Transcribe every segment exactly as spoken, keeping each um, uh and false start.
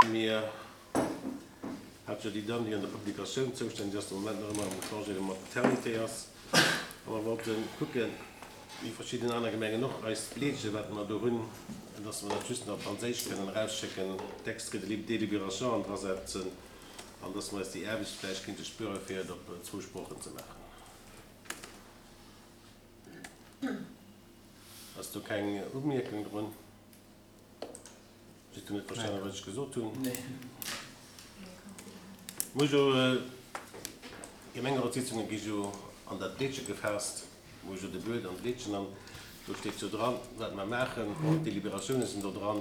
Mir hat jo déi Dame, déi an der Publikatioun zoustänneg ass, de Moment nach ëmmer am Congé de maternité ass. A mer wollte kucken, wéi verschidden aner Gemengen och, eist Blietche, wat mer do hunn, dass mer dat just nach op Franséisch kënnen erausschécken, d'Extrait de délibération an drasetzen an dass mer eis déi Aarbecht vläicht kéinte spueren, fir et op zwou Sproochen ze maachen. Ass do keng Umierkung drun? Sidd Der net verstanen, wat ech gesot hunn? Muss jo, Gemengerotssitzunge gi jo an dat Blietche gefaasst, wou jo de Buet an d'Blietchen an do steet jo dran, wat mer maachen. Och d'Deliberatioune sinn do dran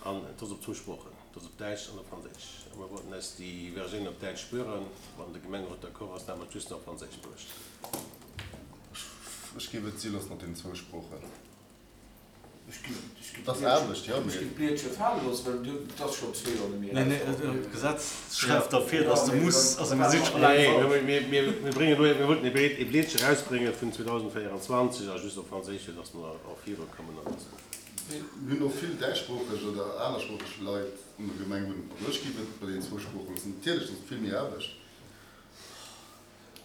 an et ass op zwou Sproochen, et ass op Däitsch an op Franséisch. A mer wollten eis déi Versioun op Däitsch spueren. Wann de Gemengerot d'accord ass, da mer et just nach op Franséisch bruecht. Ech géif et si loossen op deenen zwou Sproochen. Et ass Aarbecht, jo, Ech mee. ginn d'Blietche fale loossen, well du, et ass schonn zwee Joer net méi Nee, nee, erausgeholl ginn. d'Gesetz schreift der vir, dass de muss, also mir si scho laang Nee, falsch. mir, mir, mir bréngen elo, mir wollten e Blietche erausbrénge vun zweedausendvéierundzwanzeg a just op Franséisch, fir dass mer och virukommen an dass mer. Mir hunn och vill däitschsproocheg oder anersproocheg Leit an der Gemeng wunnen. Also ech géif et bei deenen zwou Sprooche loossen. Natierlech ass et vill méi Aarbecht.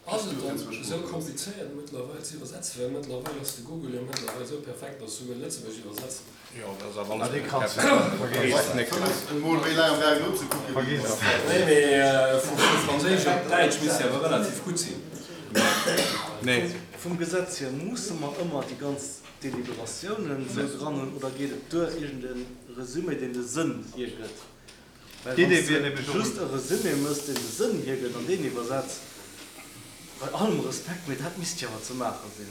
Ass et dann esou komplizéiert mëttlerweil ze iwwersetzen? Well mëttlerweil ass de Google jo mëttlerweil esou perfekt, dass esouguer Lëtzebuerg iwwersetzt. Jo, dat ass awer alles net perfekt. Emol méi laang am Gaangen nozekucken. Vergiss et. Nee, mee vu Franséisch op Däitsch misst jo awer relativ gutt sinn. Nee. Vum Gesetz hier, musse mer ëmmer déi ganz Deliberatiounen esou dran hunn oder geet et duer iergend e Resumé, deen de Sënn hiergëtt? Well wann D'Idee s wier de nämlech och. just e Resumé mëss, deen de Sënn hiergëtt an deen iwwersetz, bei allem Respekt, mee dat misst jo awer ze maache sinn.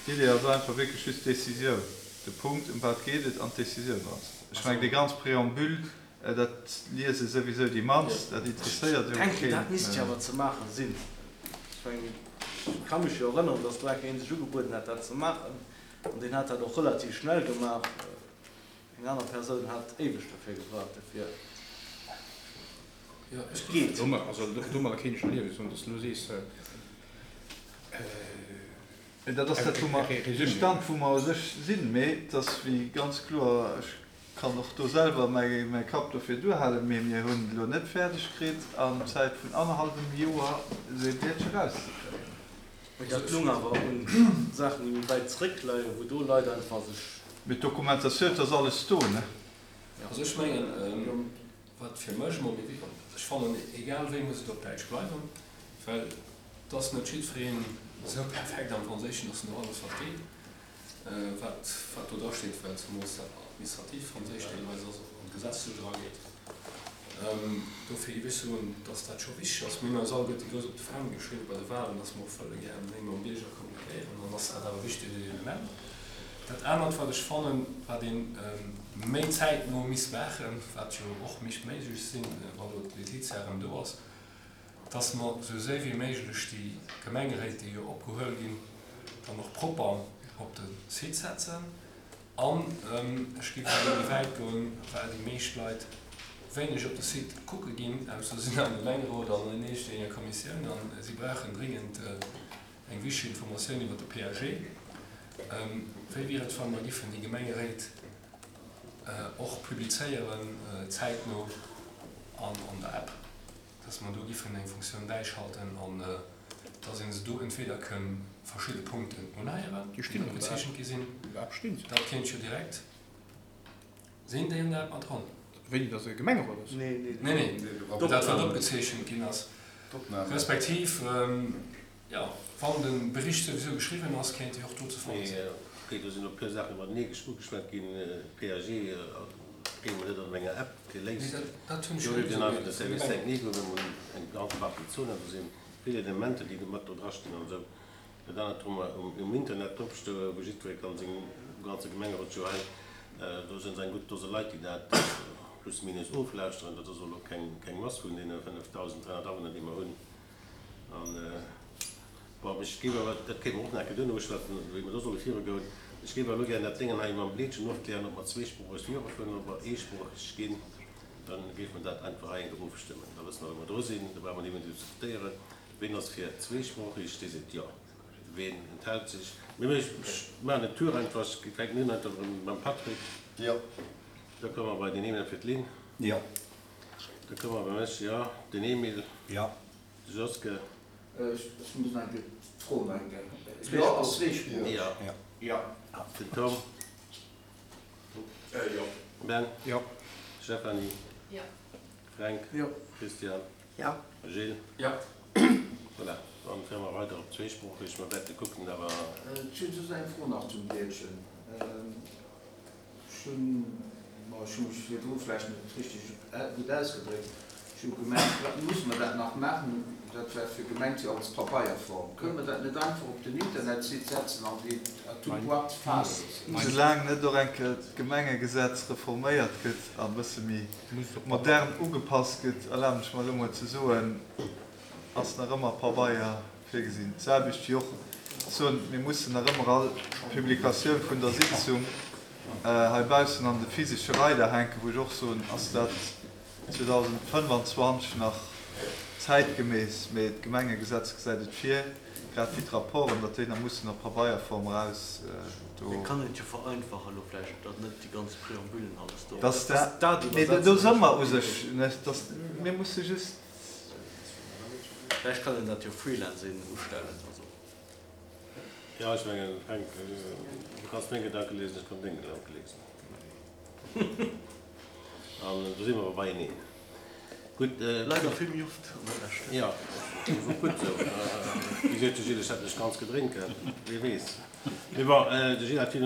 D'Idee ass einfach wierklech just d'Décisioun, de Punkt, ëm wat geet et, an d'Décisioun dran ze setzen. Ech mengen, dee ganz Préambule, dat liese souwisou déi mannst, dat Ech interesséiert jo denken, keen. dat misst jo awer ze maache sinn. Ech mengen, ech ka mech jo erënneren, dass do eng Kéier een sech ugebueden hat, dat ze maachen, an deen hat dat och relativ schnell gemaach. Eng aner Persoun hat éiweg dofir gebraucht, dofir Jo, ech et géif. geet. Domadder, also domadder kéint ech jo liewen, wann s de elo sees, Dat ass dat, wou mer, de Stand, wou mer u sech sinn. Mee et ass wéi ganz kloer, ech kann och do selwer mäi Kapp dofir duerhalen, mee mir hunn et elo net fäerdeg kritt, an Zäit vun annerhallwem Joer esou ee Blietche erauszekréien. Mee dat lung awer un Saachen, déi méi wäit zréckleien, wou do Leit einfach sech. Mee d'Dokumentatioun, et ass alles do, ne? Also ech mengen, wat fir mech emol méi wichteg, ech fannen, egal wéi muss et op Däitsch bleiwen, well et ass net jiddwereen esou perfekt am Franséischen, dass en och alles versteet, wat wat do drasteet, well zemools dat administratiivt Franséisch deelweis ass an d'Gesetzlech erageet. Dofir géif ech soen, dass dat scho wichteg ass. Mir hunn eis alleguerte grouss op de Fändel geschriwwen bei de Wahlen, dass mer och wëlle gär méi mam Bierger kommunikéieren. Dann ass dat awer e wichtegt Element. Dat anert, wat ech fannen, wat ee méi zäitno misst maachen, wat jo och misst méiglech sinn, wa lo d'Laetitia erëm do ass, dass mer esou séier wéi méiglech déi Gemengeréit, déi jo opgehuel ginn, dann och propper op de Site setzen. An ech géif esouguer méi wäit goen, well déi meescht Leit wéineg op de Site kucke ginn, ausser se sinn am Gemengerot an an iergendenger Kommissioun a si brauchen dringend eng wichteg Informatioun iwwer de P A G. Wéi wier et, wa mer giffen déi Gemengeréit och publizéieren, zäitno an an der App, dass mer do giffen eng Funktioun bäischalten an dass ee se do entweder kënn verschidde Punkten unheieren, Déi stinn déi an der App. opgezeechent gi sinn, An der App stinn se. dat kéint jo direkt. Sinn déi an der App mat dran? Wéini dass e Gemengerot ass? Nee, nee, Nee, nee, nee. dat wat opgezeechent ginn ass. D'Opnamen. Respektiv, jo, wann de Bericht souwisou geschriwwen ass, kéint déi och do ze fanne sinn. Mee okay, do sinn elo e puer Saachen iwwertenee ugeschwat ginn. P A G kréie mer net an enger App Nee, geléist. dat, dat hunn ech Do jo huet net een esou einfach de gemeet, vum Service Gemengerot. technique, wou mer eng ganz Partie Zonen, do si vill Elementer, déi do mat do drastinn an esou. Dat anert hu mer um Internet dropstoen, wou jiddweree kann seng ganze Gemengerot jo hei, do sinn eng gutt Dose Leit, déi dat plus minus oflauschteren. Dat ass elo keng keng Mass vun deene fënnefdausend dräihonnert Awunner, déi mer hunn. An, bon, ech géif awer, dat kéinte mer och nach eng Kéier duerno uschwätzen, wéi mer do solle virugoen. Ech géif awer elo gären dat Déngen hei mam Blietchen ofklären, ob mer zweesproocheg virufueren, ob mer eesproocheg ginn. Da géife mer dat einfach hei eng Kéier ofstëmmen. Da wësse mer, wou mer dru sinn. Da brauche mer net méi diskutéieren. Ween ass fir zweesproocheg, dee seet Jo. Ween enthält sech? Mee ech maachen den Tour einfach. Ech fänken un einfach erëm mam Patrick. Jo. Da komme mer bei den Emil fir d'Lynn. Jo. Da komme mer bei mech, jo. Den Emile. Jo. De Joske. Ech muss nach eng Kéier d'Fro nach eng Kéier. Jo, ass zweesproocheg. Jo. Jo. Den Tom. Jo. Ben. Jo. Stéphanie. Jo. Fränk. Jo. Christian. Jo. Gilles. Jo. Voilà, dann féiere mer weider op zweesproocheg. Mer wäerte kucken, awer. Ech hunn just eng Fro nach zum Däitschen. Ech hunn, ma ech hu mech virdru vläicht net richteg gutt ausgedréckt, ech hu gemengt, wat musse mer dat nach maachen, dat war fir gemengt jo als Pabeierform. Kënne mer dat net einfach op den Internetsite setzen an déi à toute boîte fale loossen? Soulaang net och eng Kéier d'Gemengegesetz reforméiert gëtt a bësse méi modern ugepasst gëtt, erlaben ech mer elo mol ze soen, ass nach ëmmer Pabeier virgesinn. D'selwecht wéi och soen, mir mussen nach ëmmer all Publikatioun vun der Sitzung heibaussen an de physesche Reider hänken, wou ech och soen, ass dat zweedausendfënnefanzwanzeg nach zäitgemäss, mee d'Gemengegesetz gesäit et vir, grad wéi d'Rapporten, datt déi nach mussen a Pabeierform eraus do. Mir kann et jo vereinfachen elo vläicht, datt net déi ganz Préambulen alles do. Datt dat dat, mee do si mer u sech, ne, datt mir musse just. Vläicht kann een dat jo Freelancing ustellen, also. Jo, ech mengen, Fränk, du kanns meng Gedanke liesen, ech kann deng Gedanke liesen. An do si mer awer beieneen. Gutt. Leider vill méi oft an der Lescht. Jo, dat ass och gutt esou. Wéi seet de Gilles, ech hätt mech ganz gedrénken, wie weess. Mee bon, de Gilles hat vill.